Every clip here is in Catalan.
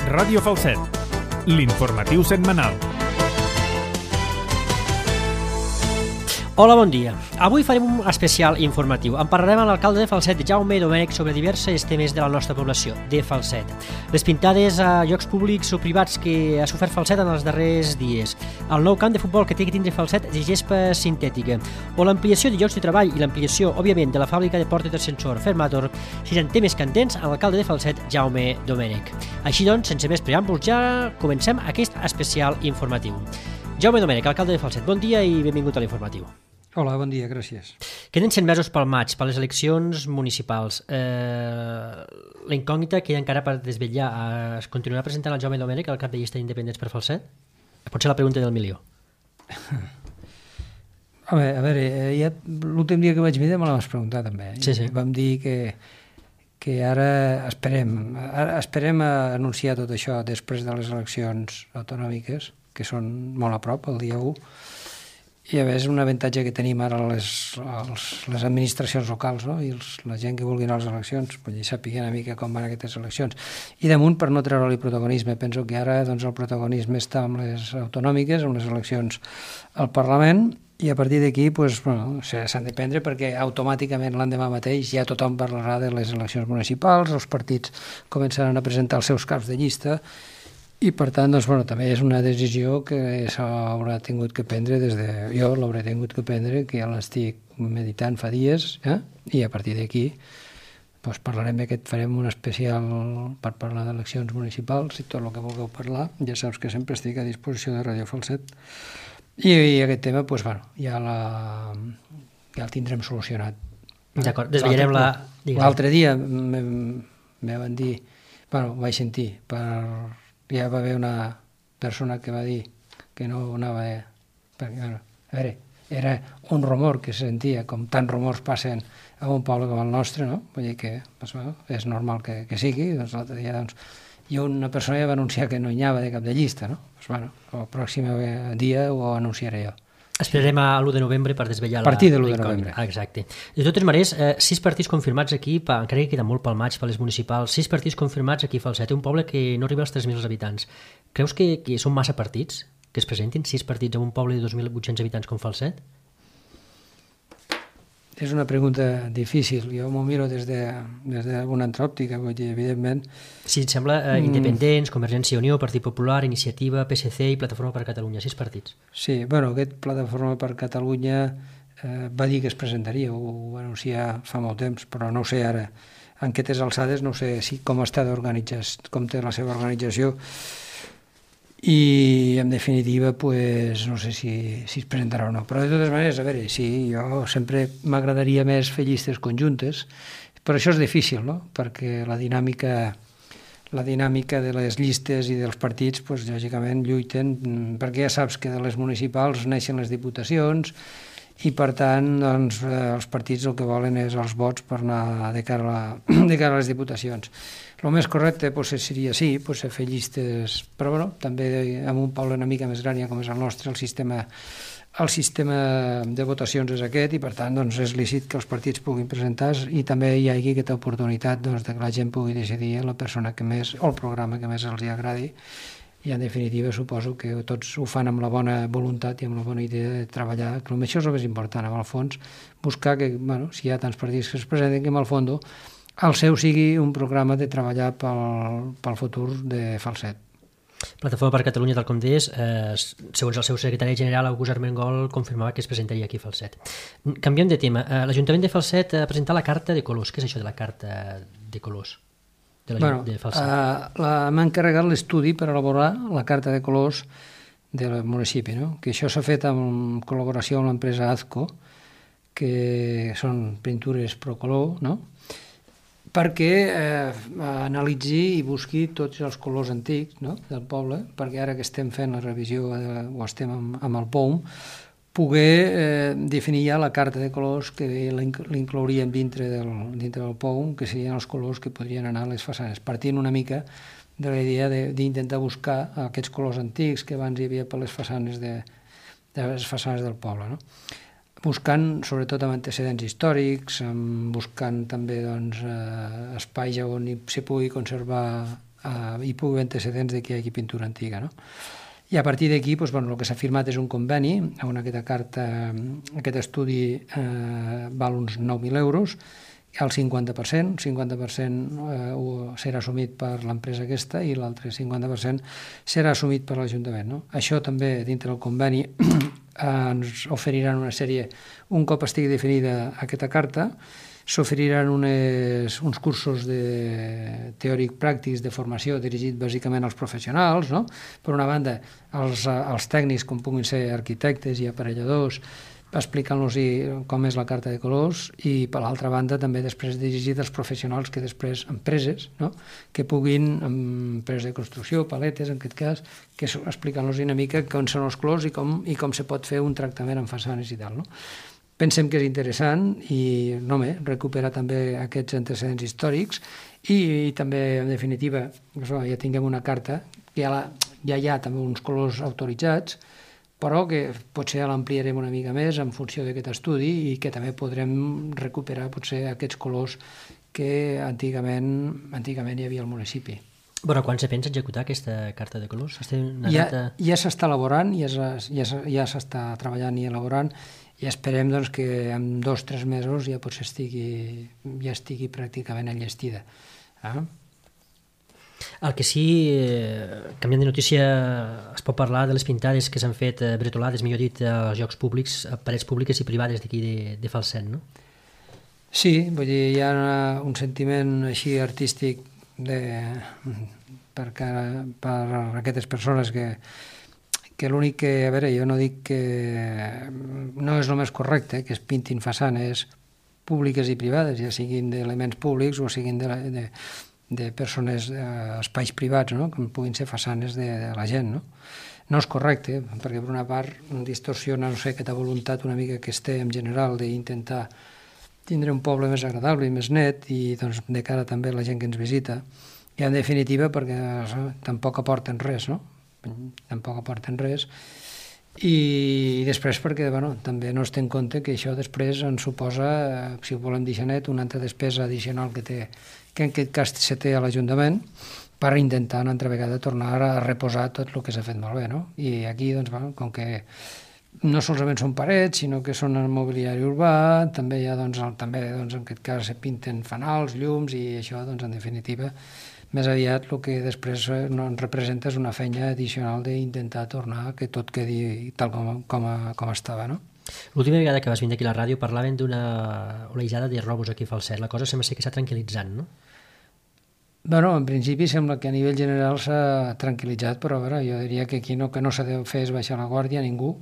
Ràdio Falset, l'informatiu setmanal. Hola, bon dia. Avui farem un especial informatiu. En parlarem amb l'alcalde de Falset, Jaume Domènech, sobre diversos temes de la nostra població, de Falset. Les pintades a llocs públics o privats que ha sofert Falset en els darrers dies, el nou camp de futbol que té que tindre Falset de gespa sintètica, o l'ampliació de llocs de treball i l'ampliació, òbviament, de la fàbrica de portes d'ascensor Fermator, seran temes candents amb l'alcalde de Falset, Jaume Domènech. Així doncs, sense més preàmbuls, ja comencem aquest especial informatiu. Jaume Domènech, alcalde de Falset, bon dia i benvingut a l'informatiu. Hola, bon dia, gràcies. Queden 100 mesos pel maig, per les eleccions municipals. La incògnita que hi ha encara per desvetllar, es continuarà presentant el Jaume Domènech al cap de llista d'independents per Falset? Pot ser la pregunta del milió. A veure, ja l'últim dia que vaig mirar me la vas preguntar també. Sí. Vam dir que ara esperem a anunciar tot això després de les eleccions autonòmiques, que són molt a prop, el dia 1, i a més un avantatge que tenim ara les administracions locals, no? I la gent que vulgui anar a les eleccions pues, ja sàpiguen una mica com van aquestes eleccions. I damunt, per no treure-li protagonisme, penso que ara doncs, el protagonisme està amb les autonòmiques, amb les eleccions al Parlament, i a partir d'aquí pues, bueno, s'han de prendre perquè automàticament l'endemà mateix ja tothom parlarà de les eleccions municipals, els partits començaran a presentar els seus caps de llista, i per tant, doncs, bueno, també és una decisió que s'haurà tingut que prendre jo l'hauré tingut que prendre, que ja l'estic meditant fa dies, i a partir d'aquí doncs, parlarem farem un especial per parlar d'eleccions municipals i tot el que vulgueu parlar. Ja saps que sempre estic a disposició de Ràdio Falset. I aquest tema, doncs, bueno, ja el tindrem solucionat. D'acord, desvetllarem la... L'altre dia me van dir, bueno, ho vaig sentir, ja va haver una persona que va dir que no anava perquè, bueno, a veure, era un rumor que se sentia, com tants rumors passen a un poble com el nostre, no? Vull dir que doncs, bueno, és normal que sigui. Doncs l'altre dia, doncs, i una persona ja va anunciar que no hi anava de cap de llista, no? Doncs, bueno, el pròxim dia ho anunciaré jo. Esperarem a l'1 de novembre per desvetllar a partir de l'1 de novembre. Exacte. De totes maneres, 6 partits confirmats aquí, encara que queda molt pel maig, per les municipals, 6 partits confirmats aquí a Falset, un poble que no arriba als 3.000 habitants. Creus que són massa partits, que es presentin 6 partits en un poble de 2.800 habitants com Falset? És una pregunta difícil. Jo m'ho miro des d'alguna altra òptica, vull dir, evidentment... Sí, et sembla Independents, Convergència i Unió, Partit Popular, Iniciativa, PSC i Plataforma per Catalunya, 6 partits. Sí, bueno, aquest Plataforma per Catalunya va dir que es presentaria, ho va anunciar fa molt temps, però no ho sé ara. En aquestes alçades no sé com està d'organitzat, com té la seva organització, i en definitiva pues, no sé si es presentarà o no, però de totes maneres, a veure, sí, jo sempre m'agradaria més fer llistes conjuntes, però això és difícil, no? Perquè la dinàmica de les llistes i dels partits, pues, lògicament lluiten, perquè ja saps que de les municipals neixen les diputacions i per tant doncs, els partits el que volen és els vots per anar de cara a les diputacions. El més correcte seria fer llistes, però bueno, també en un poble una mica més gran com és el nostre, el sistema de votacions és aquest i per tant doncs, és lícit que els partits puguin presentar i també hi hagi aquesta oportunitat doncs, que la gent pugui decidir la persona que més o el programa que més els agradi i en definitiva suposo que tots ho fan amb la bona voluntat i amb la bona idea de treballar, que això és el més important, en el fons, buscar que, bueno, si hi ha tants partits que es presenten, que en el fons el seu sigui un programa de treballar pel futur de Falset. Plataforma per Catalunya, tal com deies, segons el seu secretari general, August Armengol, confirmava que es presentaria aquí a Falset. Canviem de tema. L'Ajuntament de Falset ha presentat la carta de colors. Què és això de la carta de colors de Falset? M'ha encarregat l'estudi per elaborar la carta de colors del municipi, no? Que això s'ha fet en col·laboració amb l'empresa Azco, que són pintures Procolor, no? Perquè analitzi i busqui tots els colors antics del poble, perquè ara que estem fent la revisió o estem amb el POUM, poder definir ja la carta de colors que l'inclouríem dintre del POUM, que serien els colors que podrien anar a les façanes, partint una mica de la idea d'intentar buscar aquests colors antics que abans hi havia per les façanes del poble, no? Buscant sobretot amb antecedents històrics, buscant també espais on s'hi pugui conservar hi pugui haver antecedents de que hi hagi pintura antiga, no? I a partir d'aquí, doncs, bueno, el que s'ha firmat és un conveni, on aquesta carta, aquest estudi val uns 9.000 euros, el 50% serà assumit per l'empresa aquesta i l'altre 50% serà assumit per l'Ajuntament, no? Això també, dintre del conveni, ens oferiran una sèrie, un cop estigui definida aquesta carta, s'oferiran uns cursos teòric-pràctics de formació dirigit bàsicament als professionals, no? Per una banda, als tècnics, com puguin ser arquitectes i aparelladors, explicant-los com és la carta de colors, i per l'altra banda també després dirigit als professionals que després, empreses, no? Que puguin, empreses de construcció, paletes, en aquest cas, que explicant-los una mica com són els colors i com se pot fer un tractament en façanes i tal, no? Pensem que és interessant i recuperar també aquests antecedents històrics i també, en definitiva, ja tinguem una carta que ja hi ha també uns colors autoritzats, però que potser l'ampliarem una mica més en funció d'aquest estudi i que també podrem recuperar potser aquests colors que antigament hi havia al municipi. Bueno, quan se pensa executar aquesta carta de colors? Ja s'està elaborant, ja s'està treballant i elaborant, i esperem doncs, que en 2 o 3 mesos ja potser estigui pràcticament enllestida. El que sí, canviant de notícia, es pot parlar de les pintades que s'han fet bretolades, millor dit, als llocs públics, a parets públiques i privades d'aquí de Falset, no? Sí, vull dir, hi ha un sentiment així artístic per aquestes persones que l'únic que, a veure, jo no dic que no és el més correcte, que es pintin façanes públiques i privades, ja siguin d'elements públics o siguin de persones, espais privats, no? Com puguin ser façanes de la gent, no? No és correcte, perquè per una part distorsiona, no sé, aquesta voluntat una mica que es té en general d'intentar tindre un poble més agradable i més net i doncs de cara també a la gent que ens visita, i en definitiva perquè tampoc aporten res, no? Tampoc aporten res, i després perquè també no es té en compte que això després ens suposa, si ho volem dir net, una altra despesa addicional que en aquest cas se té a l'Ajuntament per intentar una altra vegada tornar a reposar tot el que s'ha fet malbé, no? I aquí, doncs, com que no solament són parets, sinó que són el mobiliari urbà, també hi ha, en aquest cas, se pinten fanals, llums, i això, en definitiva, més aviat el que després ens representa és una feina addicional d'intentar tornar que tot quedi tal com estava, no? L'última vegada que vas vindre aquí a la ràdio parlaven d'una olejada de robos aquí a Falset. La cosa sembla ser que s'ha tranquil·litzant, no? Bueno, en principi sembla que a nivell general s'ha tranquil·litzat, però jo diria que aquí no s'ha de fer és baixar la guàrdia a ningú,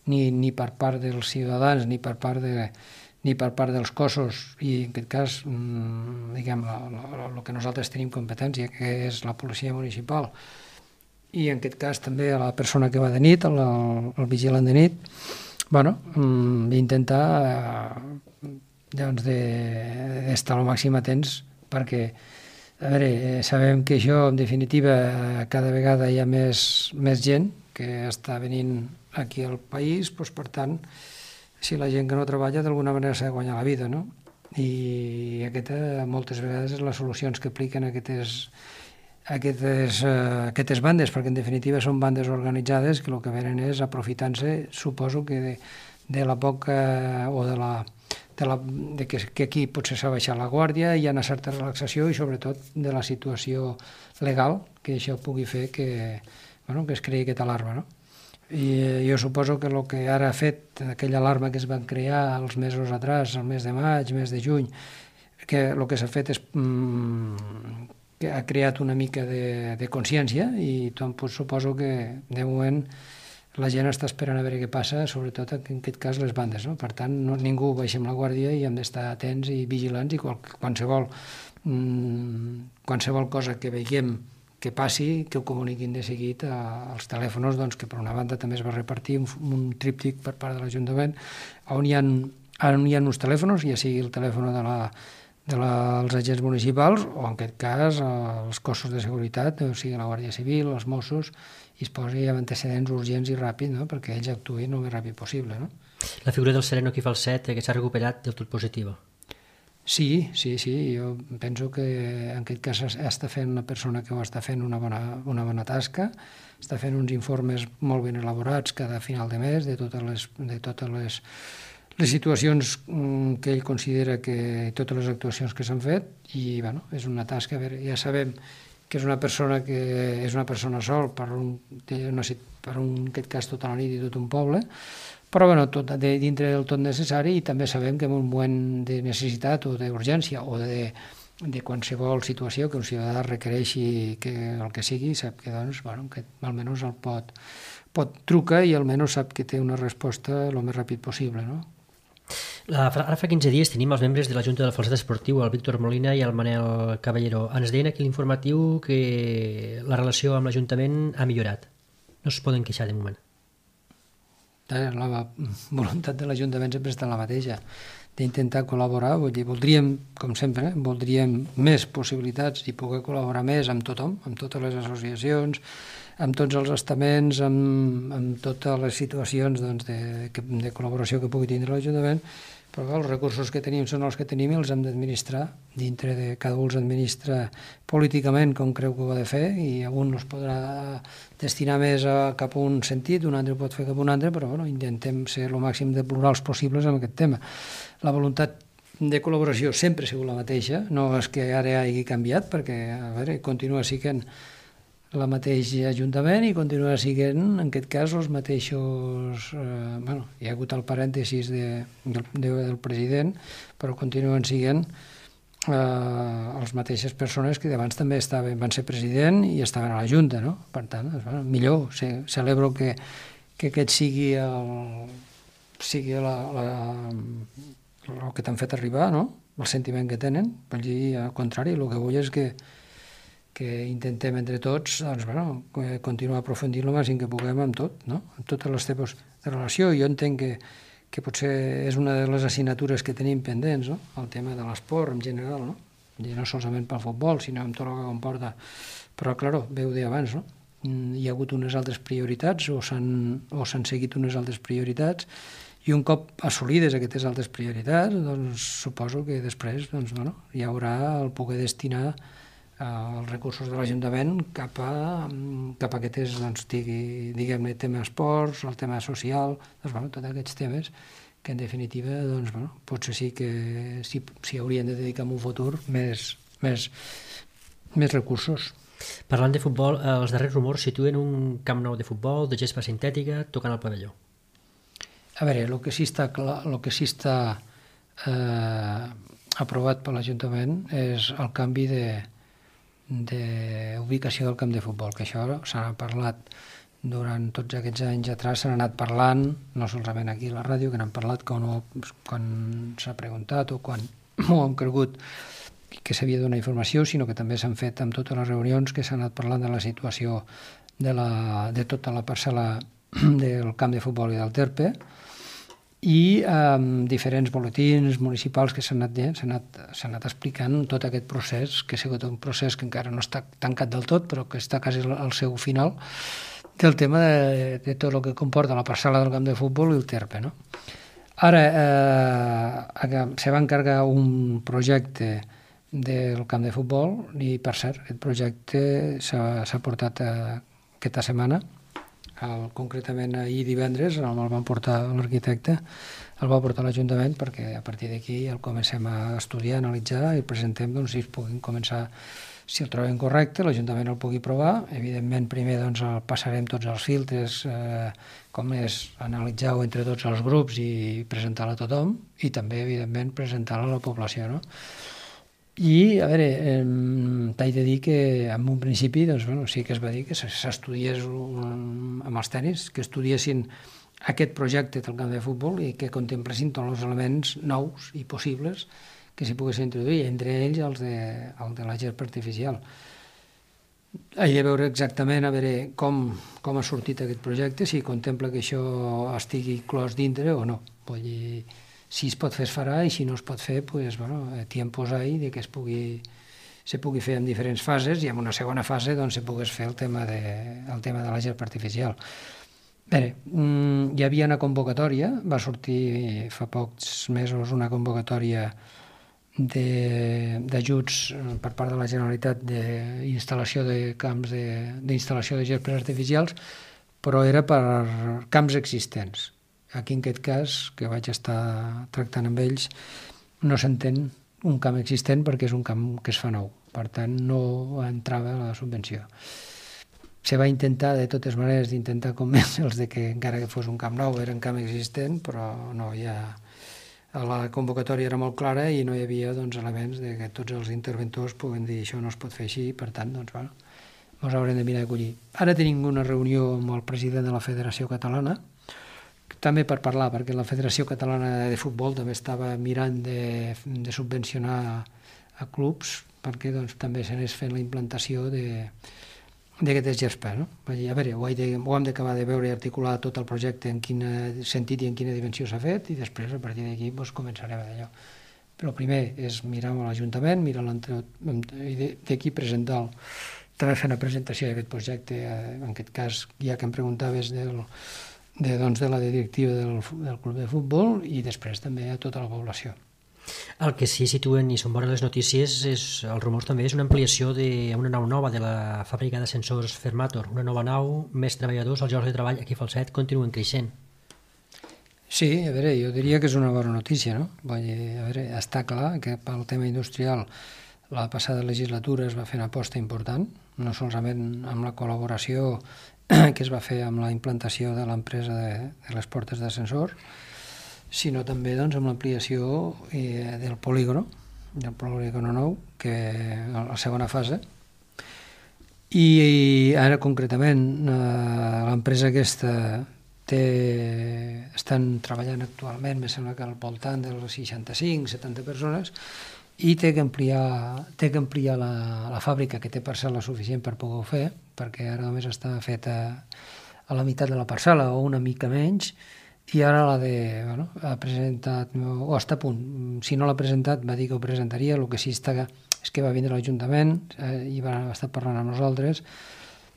ni per part dels ciutadans, ni per part dels cossos, i en aquest cas, diguem, el que nosaltres tenim competència, que és la policia municipal, i en aquest cas també a la persona que va de nit, el vigilant de nit, intentar d'estar al màxim atents, perquè a veure, sabem que això, en definitiva, cada vegada hi ha més gent que està venint aquí al país, doncs, per tant, si la gent que no treballa d'alguna manera s'ha de guanyar la vida, no? I aquesta moltes vegades és les solucions que apliquen aquestes bandes, perquè en definitiva són bandes organitzades que el que venen és aprofitant-se, suposo que de la poca o de que aquí potser s'ha baixat la guàrdia, hi ha una certa relaxació i sobretot de la situació legal que això pugui fer que es creï aquesta alarma, no? I jo suposo que el que ara ha fet aquella alarma que es van crear els mesos atrás, el mes de maig, mes de juny, que el que s'ha fet és que ha creat una mica de consciència i suposo que de moment la gent està esperant a veure què passa, sobretot en aquest cas les bandes, no? Per tant, ningú baixem la guàrdia i hem d'estar atents i vigilants i qualsevol cosa que veiem que passi, que ho comuniquin de seguit als telèfons, que per una banda també es va repartir un tríptic per part de l'Ajuntament on hi ha uns telèfons, ja sigui el telèfon dels agents municipals o en aquest cas els cossos de seguretat, o sigui la Guàrdia Civil, els Mossos, i es posi amb antecedents urgents i ràpid, no? Perquè ells actuïn el més ràpid possible, no? La figura del sereno aquí a Falset que s'ha recuperat del tot positiva. Sí, jo penso que en aquest cas està fent una persona que ho està fent una bona tasca, està fent uns informes molt ben elaborats cada final de mes de totes les situacions que ell considera que totes les actuacions que s'han fet i bueno, és una tasca, a veure, ja sabem que és una persona sol en aquest cas tota la nit i tot un poble, però bueno, dintre del tot necessari i també sabem que en un moment de necessitat o d'urgència o de qualsevol situació que un ciutadà requereixi que el que sigui, sap que doncs, bueno, que almenys el pot trucar i almenys sap que té una resposta el més ràpid possible, no? Ara fa 15 dies tenim els membres de la Junta del Falset Esportiu, el Víctor Molina i el Manel Caballero. Ens deien aquí l'informatiu que la relació amb l'Ajuntament ha millorat. No es poden queixar de moment. La voluntat de l'Ajuntament sempre està la mateixa, d'intentar col·laborar, voldríem, com sempre, voldríem més possibilitats i poder col·laborar més amb tothom, amb totes les associacions, amb tots els estaments, amb totes les situacions de col·laboració que pugui tindre l'Ajuntament, però els recursos que tenim són els que tenim i els hem d'administrar dintre de cada un els administra políticament com creu que ho ha de fer i un es podrà destinar més cap a un sentit, un altre pot fer cap a un altre, però bueno, intentem ser el màxim de plurals possibles amb aquest tema. La voluntat de col·laboració sempre ha sigut la mateixa, no és que ara hagi canviat perquè a veure, continua sent la mateixa Ajuntament i continua sent, en aquest cas, els mateixos... hi ha hagut el parèntesis del president, però continuen sent les mateixes persones que abans també van ser president i estaven a la Junta, no? Per tant, millor, celebro que aquest sigui el que t'han fet arribar, no? El sentiment que tenen, per dir, al contrari, el que vull és que intentem entre tots continuar aprofundint el màxim que puguem amb tot, no? Amb totes les tipus de relació. Jo entenc que potser és una de les assignatures que tenim pendents, no? El tema de l'esport en general, no? I no solament pel futbol, sinó amb tot el que comporta. Però, clar, veu d'abans, no? Hi ha hagut unes altres prioritats o s'han seguit unes altres prioritats i un cop assolides aquestes altres prioritats, doncs suposo que després hi haurà el poder destinar els recursos de l'Ajuntament cap a aquests, diguem-ne, tema esports, el tema social, tots aquests temes que en definitiva, potser sí que s'hi haurien de dedicar en un futur més recursos. Parlant de futbol, els darrers rumors situen un camp nou de futbol, de gespa sintètica, tocant al pavelló. A veure, el que sí està aprovat per l'Ajuntament és el canvi d'ubicació del camp de futbol, que això s'ha parlat durant tots aquests anys atrás, s'han anat parlant, no solament aquí a la ràdio, que n'han parlat quan s'ha preguntat o quan ho hem cregut que s'havia de donar informació, sinó que també s'han fet amb totes les reunions que s'han anat parlant de la situació de tota la parcel·la del camp de futbol i del Terpe, i diferents boletins municipals que s'han anat explicant tot aquest procés, que ha sigut un procés que encara no està tancat del tot, però que està quasi al seu final, del tema de tot el que comporta la parcel·la del camp de futbol i el Terpe, no? Ara se va encarregar un projecte del camp de futbol i, per cert, aquest projecte s'ha portat aquesta setmana, concretament ahir divendres el van portar l'arquitecte, el va portar a l'Ajuntament perquè a partir d'aquí el comencem a estudiar, a analitzar i presentem si es puguin començar, si el trobem correcte, l'Ajuntament el pugui provar. Evidentment, primer el passarem tots els filtres, com és analitzar-ho entre tots els grups i presentar-lo a tothom i també, evidentment, presentar-lo a la població, no? I, a veure, t'haig de dir que en un principi sí que es va dir que s'estudiés amb els tècnics, que estudiessin aquest projecte del camp de futbol i que contemplessin tots els elements nous i possibles que s'hi poguessin introduir, entre ells el de la gespa artificial. He de veure exactament com ha sortit aquest projecte, si contempla que això estigui inclòs dintre o no. Vull dir, si es pot fer es farà i si no es pot fer, tiempos ahí de que se pugui fer en diferents fases i en una segona fase se pogués fer el tema de la gespa artificial. Bé, hi havia una convocatòria, va sortir fa pocs mesos una convocatòria d'ajuts per part de la Generalitat d'instal·lació de camps d'instal·lació de gespes artificials, però era per camps existents. Aquí, en aquest cas, que vaig estar tractant amb ells, no s'entén un camp existent perquè és un camp que es fa nou. Per tant, no entrava la subvenció. Se va intentar, de totes maneres, d'intentar convèncer-los de que encara que fos un camp nou era un camp existent, però no, ja la convocatòria era molt clara i no hi havia elements de que tots els interventors puguen dir això no es pot fer així, per tant, ens haurem de mirar d'acollir. Ara tenim una reunió amb el president de la Federació Catalana, també per parlar, perquè la Federació Catalana de Futbol també estava mirant de subvencionar a clubs perquè també s'anés fent la implantació d'aquestes gespes. No? A veure, ho hem d'acabar de veure i articular tot el projecte en quin sentit i en quina dimensió s'ha fet, i després a partir d'aquí començarem d'allò. Però primer és mirar amb l'Ajuntament, i d'aquí presentar-lo. També fer una presentació d'aquest projecte, en aquest cas, ja que em preguntaves de la directiva del club de futbol, i després també a tota la població. El que sí situen i són bones les notícies els rumors també és una ampliació d'una nau nova de la fàbrica d'ascensors Fermator, una nova nau, més treballadors, els llocs de treball aquí a Falset continuen creixent. Sí, a veure, jo diria que és una bona notícia, no? A veure, està clar que pel tema industrial la passada legislatura es va fer una aposta important, no solament amb la col·laboració que es va fer amb la implantació de l'empresa de les portes d'ascensor, sinó també amb l'ampliació del polígono nou, que a la segona fase. I ara concretament l'empresa aquesta estan treballant actualment, me sembla que al voltant de les 65-70 persones, i té que ampliar la fàbrica, que té parcel·la suficient per poder-ho fer, perquè ara només està feta a la meitat de la parcel·la o una mica menys, i ara ha presentat, o està a punt, si no l'ha presentat va dir que ho presentaria, el que sí és que va vindre l'Ajuntament i va estar parlant amb nosaltres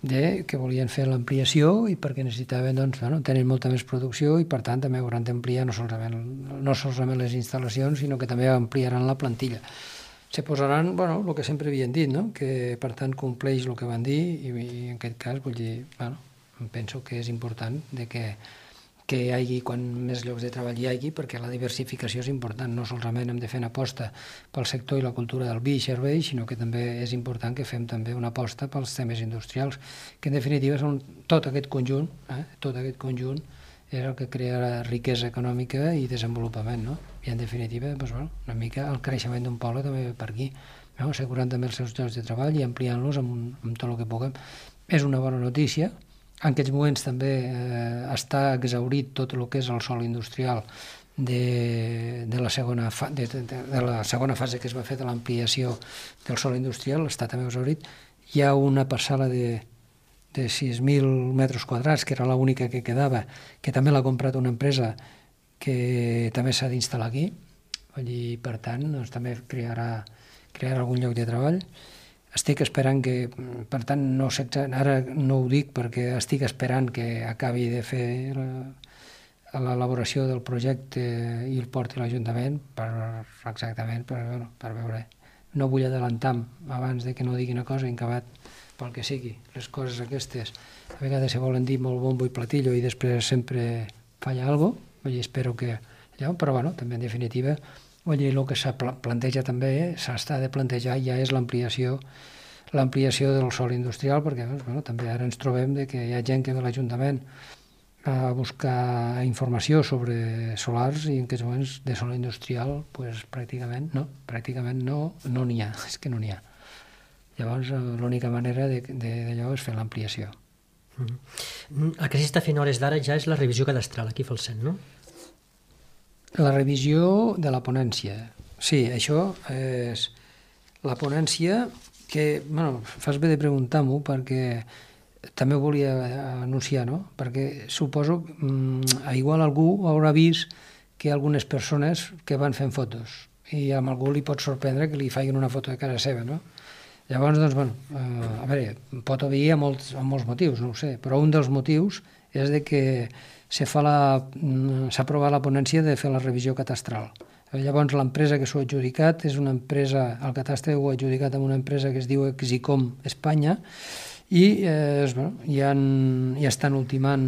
que volien fer l'ampliació i perquè necessitaven, tenen molta més producció i per tant també hauran d'ampliar no solament les instal·lacions, sinó que també ampliaran la plantilla. Se posaran, el que sempre havien dit, que per tant compleix el que van dir, i en aquest cas vull dir, penso que és important que hi hagi quan més llocs de treball hi hagi, perquè la diversificació és important. No solament hem de fer una aposta pel sector i la cultura del vi i servei, sinó que també és important que fem també una aposta pels temes industrials, que en definitiva són tot aquest conjunt és el que crea riquesa econòmica i desenvolupament, no? I en definitiva, una mica el creixement d'un poble també ve per aquí, assegurant també els seus llocs de treball i ampliant-los amb tot el que puguem. És una bona notícia. En aquests moments també està exhaurit tot el que és el sòl industrial de la segona fase que es va fer de l'ampliació del sòl industrial, està també exhaurit. Hi ha una parcel·la de 6.000 metres quadrats, que era l'única que quedava, que també l'ha comprat una empresa que també s'ha d'instal·lar aquí, i per tant també crearà algun lloc de treball. Estic esperant que, per tant, ara no ho dic perquè estic esperant que acabi de fer l'elaboració del projecte i el porti a l'Ajuntament per veure. No vull adelantar abans de que no digui una cosa i acabat pel que sigui. Les coses aquestes a vegades se volen dir molt bombo i platillo i després sempre falla alguna cosa, espero que allò, però també en definitiva el que s'ha planteja també, s'ha de plantejar ja és l'ampliació del sòl industrial, perquè també ara ens trobem que hi ha gent que ve a l'Ajuntament a buscar informació sobre solars i en aquests moments de sòl industrial pràcticament no n'hi ha, és que no n'hi ha. Llavors l'única manera d'allò és fer l'ampliació. El que sí està fent hores d'ara ja és la revisió cadastral aquí a Falset, no? La revisió de la ponència. Sí, això és la ponència que, fas bé de preguntar-m'ho perquè també ho volia anunciar, no? Perquè suposo igual algú haurà vist que algunes persones que van fent fotos i a algú li pot sorprendre que li facin una foto de casa seva, no? Llavors, a veure, pot haver amb molts motius, no ho sé, però un dels motius és que s'ha aprovat la ponència de fer la revisió catastral. Llavors, l'empresa que s'ho ha adjudicat és una empresa, el Catastre ho ha adjudicat amb una empresa que es diu Exicom Espanya, i ja estan ultimant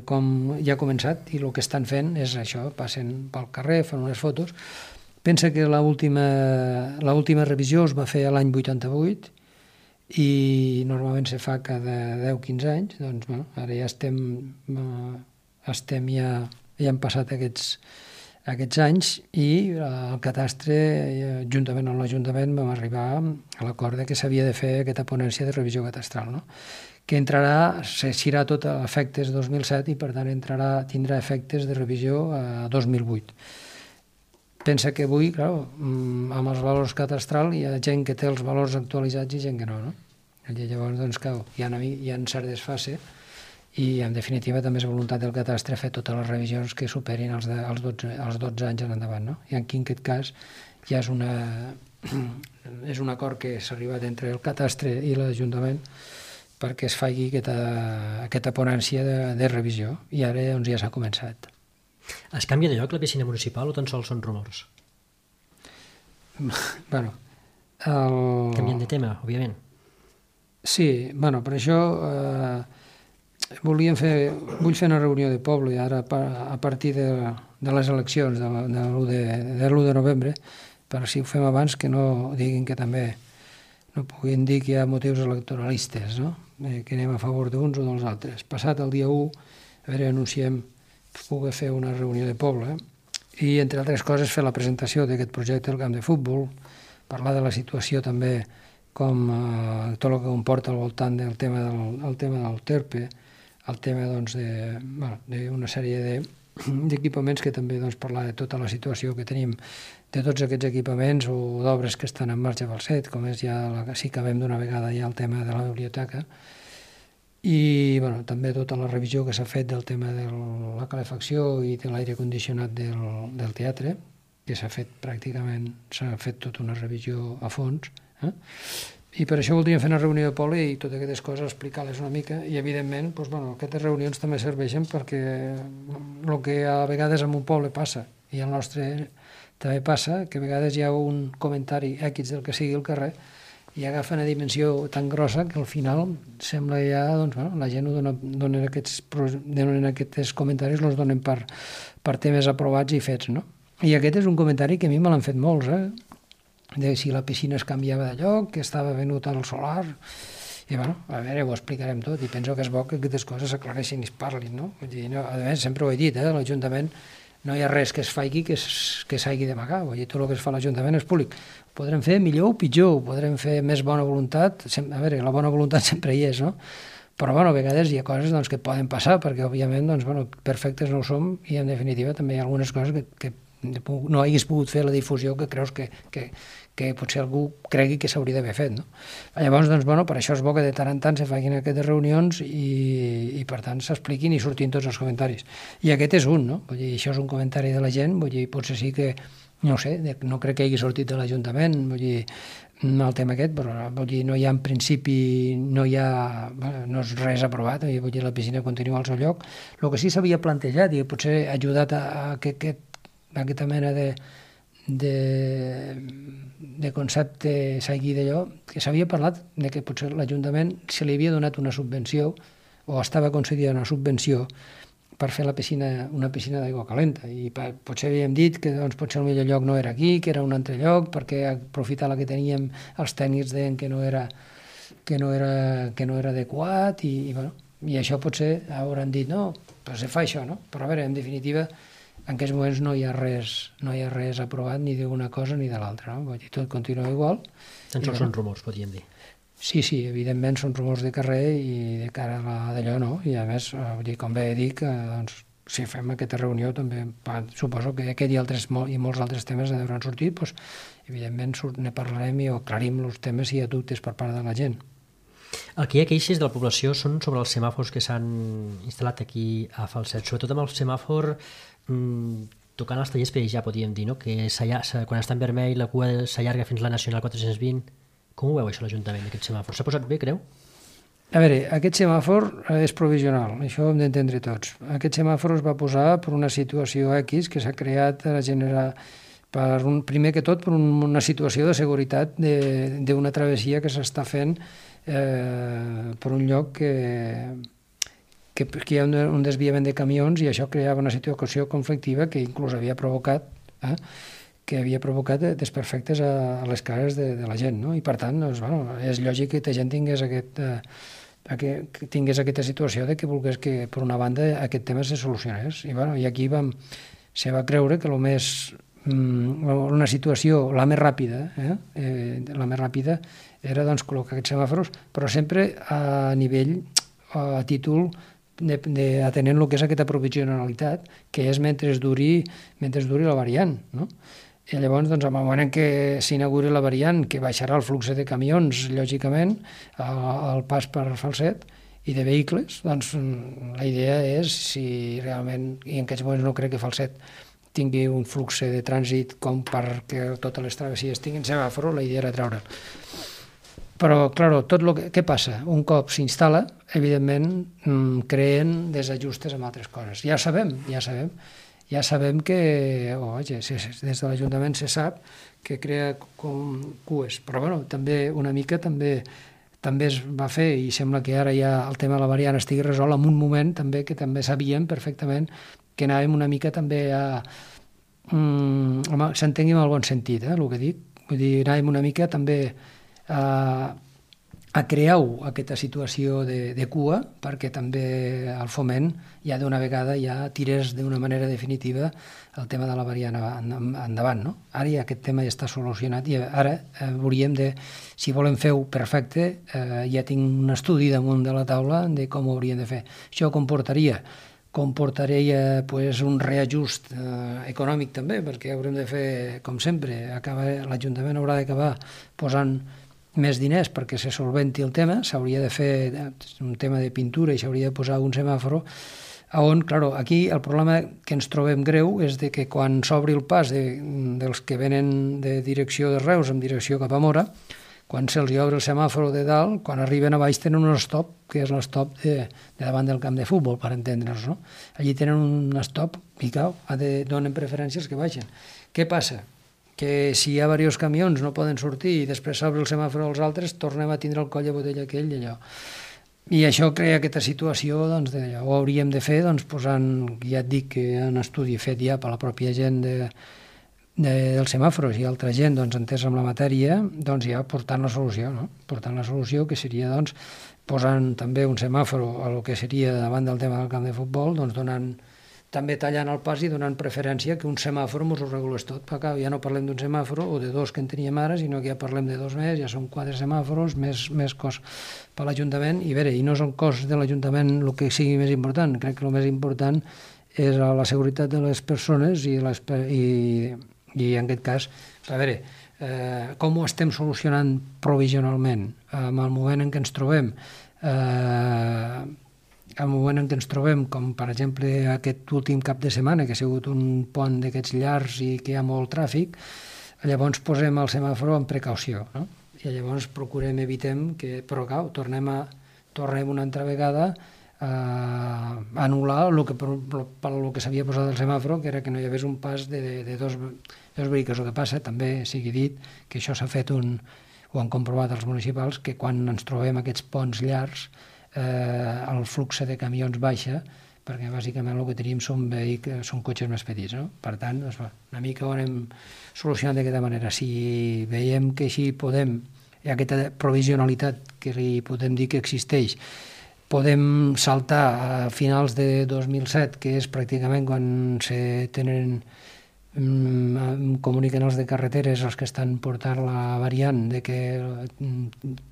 com ja ha començat, i el que estan fent és això, passen pel carrer, fan unes fotos. Pensa que l'última revisió es va fer l'any 88 i normalment se fa cada 10-15 anys, doncs ara ja ja han passat aquests anys, i el Catastre, juntament amb l'Ajuntament, vam arribar a l'acord que s'havia de fer aquesta ponència de revisió catastral, no? Que s'irà tot a efectes 2007 i per tant tindrà efectes de revisió a 2008. Pensa que avui, clar, amb els valors catastral hi ha gent que té els valors actualitzats i gent que no? I llavors, doncs, clar, hi ha cert desfase, i en definitiva també és voluntat del Catastre fer totes les revisions que superin els 12 anys en endavant, no? I aquí en aquest cas ja és un acord que s'ha arribat entre el Catastre i l'Ajuntament perquè es faci aquesta ponència de revisió, i ara doncs, ja s'ha començat. Es canvia de lloc la piscina municipal o tan sols són rumors? Bueno, canvien de tema, òbviament. Sí, bueno, per això vull fer una reunió de poble ara a partir de les eleccions de l'1 de novembre, per si ho fem abans que no diguin que també no puguin dir que hi ha motius electoralistes, no? Que anem a favor d'uns o dels altres. Passat el dia 1, a veure, anunciem poder fer una reunió de poble i, entre altres coses, fer la presentació d'aquest projecte del camp de futbol, parlar de la situació també com tot el que comporta al voltant del tema del TERPE, el tema d'una sèrie d'equipaments que també parlar de tota la situació que tenim de tots aquests equipaments o d'obres que estan en marxa a Falset, com és ja, si acabem d'una vegada ja el tema de la biblioteca, i també tota la revisió que s'ha fet del tema de la calefacció i de l'aire condicionat del teatre, que s'ha fet tota una revisió a fons, i per això voldríem fer una reunió de poble i totes aquestes coses explicar-les una mica, i evidentment aquestes reunions també serveixen perquè el que a vegades en un poble passa i al nostre també passa, que a vegades hi ha un comentari X del que sigui al carrer i agafa una dimensió tan grossa que al final sembla ja, la gent donen aquests comentaris, els donen per temes aprovats i fets, no? I aquest és un comentari que a mi me l'han fet molts, de si la piscina es canviava de lloc, que estava venut al solar, i a veure, ho explicarem tot, i penso que és bo que aquestes coses s'aclareixin i es parlin, no? Vull dir, a més, sempre ho he dit, l'Ajuntament no hi ha res que es faci que s'hagi d'amagar, vull dir, tot el que es fa a l'Ajuntament és públic. Ho podrem fer millor o pitjor, ho podrem fer més bona voluntat, a veure, la bona voluntat sempre hi és, no? Però, a vegades hi ha coses que poden passar, perquè, òbviament, perfectes no ho som, i, en definitiva, també hi ha algunes coses que no haguis pogut fer la difusió que creus que potser algú cregui que s'hauria d'haver fet, no? Llavors, per això és bo que de tant en tant se facin aquestes reunions i per tant, s'expliquin i surtin tots els comentaris. I aquest és un, no? Vull dir, això és un comentari de la gent, vull dir, potser sí que, no sé, no crec que hagi sortit de l'Ajuntament, vull dir, el tema aquest, però vull dir, no hi ha en principi, no és res aprovat, vull dir, la piscina continua al seu lloc. El que sí s'havia plantejat i potser ha ajudat a aquesta mena de concepte s'hagi d'allò, que s'havia parlat de que potser l'Ajuntament se li havia donat una subvenció o estava concedida una subvenció per fer una piscina d'aigua calenta, i potser havíem dit que potser el millor lloc no era aquí, que era un altre lloc, perquè aprofitar la que teníem els tècnics deien que no era adequat, i això potser hauran dit no, però se fa això, no? Però a veure, en definitiva, en aquests moments no hi ha res aprovat ni d'una cosa ni de l'altra, no? Vull dir, tot continua igual. Tan sols són rumors, podríem dir. Sí, evidentment són rumors de carrer i de cara a d'allò, no? I a més, com bé dic, si fem aquesta reunió també, suposo que aquest i molts altres temes hauran sortit, evidentment ne parlarem i aclarim els temes si hi ha dubtes per part de la gent. El que hi ha queixes de la població són sobre els semàfors que s'han instal·lat aquí a Falset, sobretot amb el semàfor tocant els tallers perillar, podríem dir, no? Que quan està en vermell la cua s'allarga fins la Nacional 420. Com ho veu això l'Ajuntament, aquest semàfor? S'ha posat bé, creu? A veure, aquest semàfor és provisional, això ho hem d'entendre tots. Aquest semàfor es va posar per una situació X que s'ha creat primer que tot per una situació de seguretat d'una travessia que s'està fent per un lloc que hi ha un desviament de camions i això creava una situació conflictiva que inclús havia provocat desperfectes a les cares de la gent, no? I per tant, doncs, és lògic que la gent tingués aquesta situació de que volgués que, per una banda, aquest tema se solucionés. I aquí se va creure que una situació la més ràpida era doncs, col·locar aquests semàfors, però sempre a títol atenent el que és aquesta provisionalitat, que és mentre duri la variant, no? I llavors, doncs, en el moment en què s'inauguri la variant, que baixarà el flux de camions, lògicament, al pas per Falset, i de vehicles, doncs la idea és, si realment, i en aquests moments no crec que Falset tingui un flux de trànsit com perquè totes les travessies tinguin semàfor, la idea era treure'l. Però, clar, què passa? Un cop s'instal·la, evidentment, creen desajustes amb altres coses. Ja sabem que, des de l'Ajuntament se sap que crea com cues, però també una mica també es va fer, i sembla que ara ja el tema de la variant estigui resolt en un moment també que també sabíem perfectament que anàvem una mica també s'entengui en el bon sentit, el que dic. Vull dir, anàvem una mica també a crear aquesta situació de cua perquè també el Foment ja d'una vegada ja tirés d'una manera definitiva el tema de la variant endavant, no? Ara ja aquest tema ja està solucionat i ara hauríem de, si volem fer-ho perfecte, ja tinc un estudi damunt de la taula de com ho hauríem de fer. Això comportaria un reajust econòmic també, perquè haurem de fer, com sempre, l'Ajuntament haurà d'acabar posant més diners perquè se solventi el tema, s'hauria de fer un tema de pintura i s'hauria de posar un semàforo on, clar, aquí el problema que ens trobem greu és de que quan s'obri el pas dels que venen de direcció de Reus en direcció cap a Mora, quan se'ls obre el semàforo de dalt, quan arriben a baix tenen un stop, que és l'stop de davant del camp de futbol, per entendre'ns, no? Allí tenen un stop i donen preferències que baixen. Què passa? Que si hi ha diversos camions no poden sortir i després s'obre el semàforo als altres, tornem a tindre el coll de botella aquell i allò. I això crea aquesta situació, doncs, ho hauríem de fer posant, ja et dic que hi ha un estudi fet ja per la pròpia gent dels semàfors i altra gent entesa amb la matèria, ja portant la solució, no? Portant la solució que seria posant també un semàforo a lo que seria davant del tema del camp de futbol, també tallant el pas i donant preferència que un semàfor ens ho regulés tot. Ja no parlem d'un semàfor o de dos que en teníem ara, sinó que ja parlem de dos més, ja són 4 semàfors, més cost per l'Ajuntament, i no són costs de l'Ajuntament el que sigui més important. Crec que el més important és la seguretat de les persones i en aquest cas, com ho estem solucionant provisionalment en el moment en què ens trobem, com per exemple aquest últim cap de setmana, que ha sigut un pont d'aquests llargs i que hi ha molt tràfic, llavors posem el semàfor amb precaució, no? I llavors evitem que, però clar, tornem una altra vegada a anul·lar el que s'havia posat el semàfor, que era que no hi hagués un pas de dos vehicles. El que passa, també sigui dit, que això s'ha fet ho han comprovat els municipals, que quan ens trobem aquests ponts llargs el flux de camions baixa, perquè bàsicament el que tenim són cotxes més petits, no? Per tant, una mica ho anem solucionant d'aquesta manera. Si veiem que així podem, aquesta provisionalitat que li podem dir que existeix, podem saltar a finals de 2007, que és pràcticament quan comuniquen els de carreteres els que estan portant la variant de que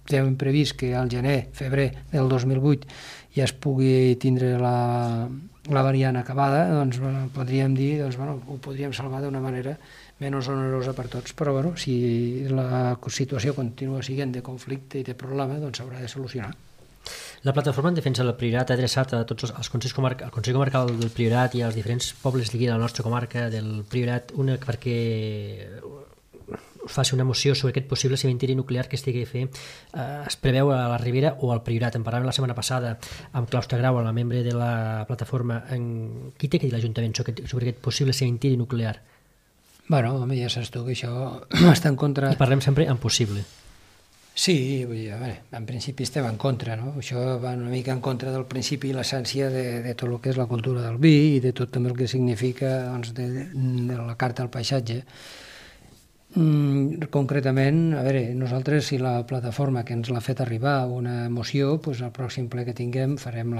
tenen previst que al febrer del 2008 ja es pugui tindre la variant acabada, doncs podríem dir, ho podríem salvar d'una manera menys onerosa per tots, però si la situació continua sent de conflicte i de problema, doncs s'haurà de solucionar. La plataforma en defensa del Priorat ha adreçat a tots els Consell Comarcal del Priorat i als diferents pobles d'aquí de la nostra comarca del Priorat perquè us faci una moció sobre aquest possible cementiri nuclear que estigui a fer. Es preveu a la Ribera o al Priorat. En parlàvem la setmana passada amb Claustre Grau, la membre de la plataforma. Qui té que dir l'Ajuntament sobre aquest possible cementiri nuclear? Bueno, home, ja saps tu que això està en contra... I parlem sempre en possible. Sí, vull dir, a veure, en principi estem en contra, no? Això va una mica en contra del principi i l'essència de tot el que és la cultura del vi i de tot també el que significa doncs, de la carta al paisatge. Concretament, a veure, nosaltres, si la plataforma que ens l'ha fet arribar una moció, doncs al pròxim ple que tinguem farem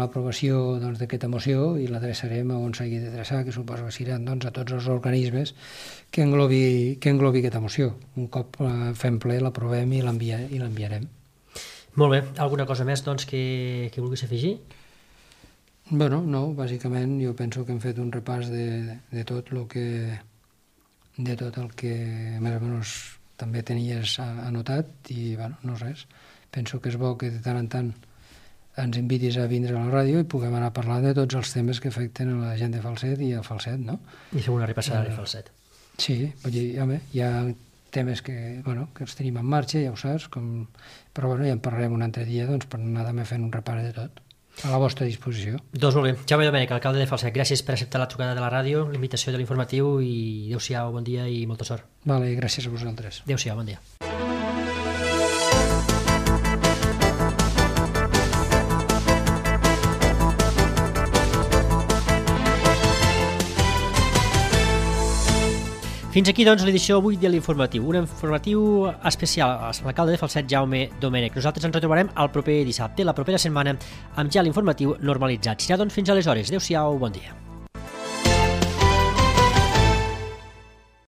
l'aprovació d'aquesta moció i l'adreçarem a on s'hagi d'adreçar, que suposo que seran a tots els organismes que englobi aquesta moció. Un cop fem ple, l'aprovem i l'enviarem. Molt bé. Alguna cosa més que vulguis afegir? Bueno, no, bàsicament jo penso que hem fet un repàs de tot el que més o menys també tenies anotat i bueno, no res. Penso que és bo que de tant en tant ens invitis a vindre a la ràdio i puguem anar a parlar de tots els temes que afecten a la gent de Falset i a Falset, no? I fer una repassada de Falset. Sí, vull dir, home, hi ha temes que els tenim en marxa, ja ho saps, però bueno, ja en parlarem un altre dia per anar també fent un repàs de tot. A la vostra disposició. Doncs molt bé. Jaume Domènech, alcalde de Falset, gràcies per acceptar la trucada de la ràdio, l'invitació de l'informatiu i adéu-siau, bon dia i molta sort. Vale, gràcies a vosaltres. Adéu-siau, bon dia. Fins aquí, doncs, l'edició avui de l'Informatiu. Un informatiu especial a l'alcalde de Falset, Jaume Domènech. Nosaltres ens retrobarem el proper dissabte, la propera setmana, amb ja l'Informatiu normalitzat. Serà, doncs, fins aleshores. Adéu-siau, bon dia.